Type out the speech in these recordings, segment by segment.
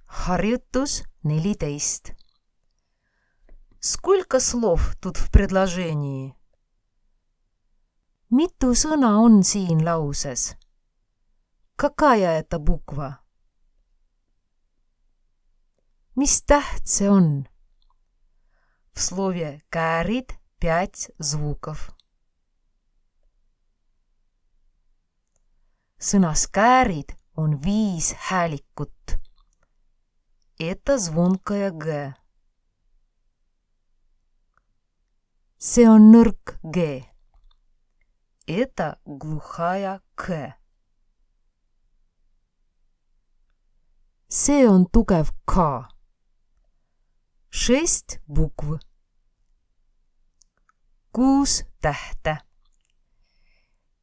Harjutus 14. Сколько слов тут в предложении? Mitu sõna on siin lauses? Какая это буква? Mis täht see on? В слове кäärid 5 звуков. Sõnas käärid on 5 häälikut. Это звонкая Г. See on nõrk G. Это глухая К. See on tugev K. 6 букв. 6 tähte.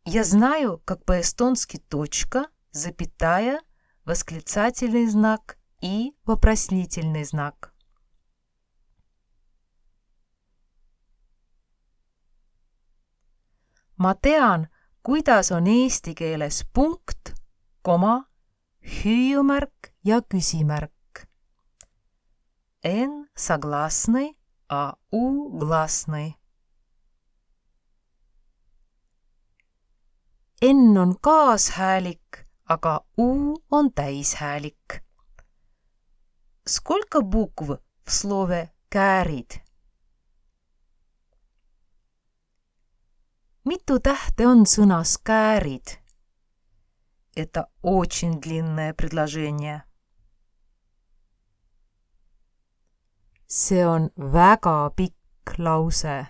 Я знаю, как по-эстонски точка, запятая, восклицательный знак и вопросительный знак. Ma tean, kuidas on eesti keeles punkt, koma, hüüumärk ja küsimärk. N согласный, а U гласный. N on kaashäälik, aga U on täishäälik. Сколько букв в слове кäärid? Mitu tähte on sõnas käärid? Это очень длинное предложение. See on väga pikk lause.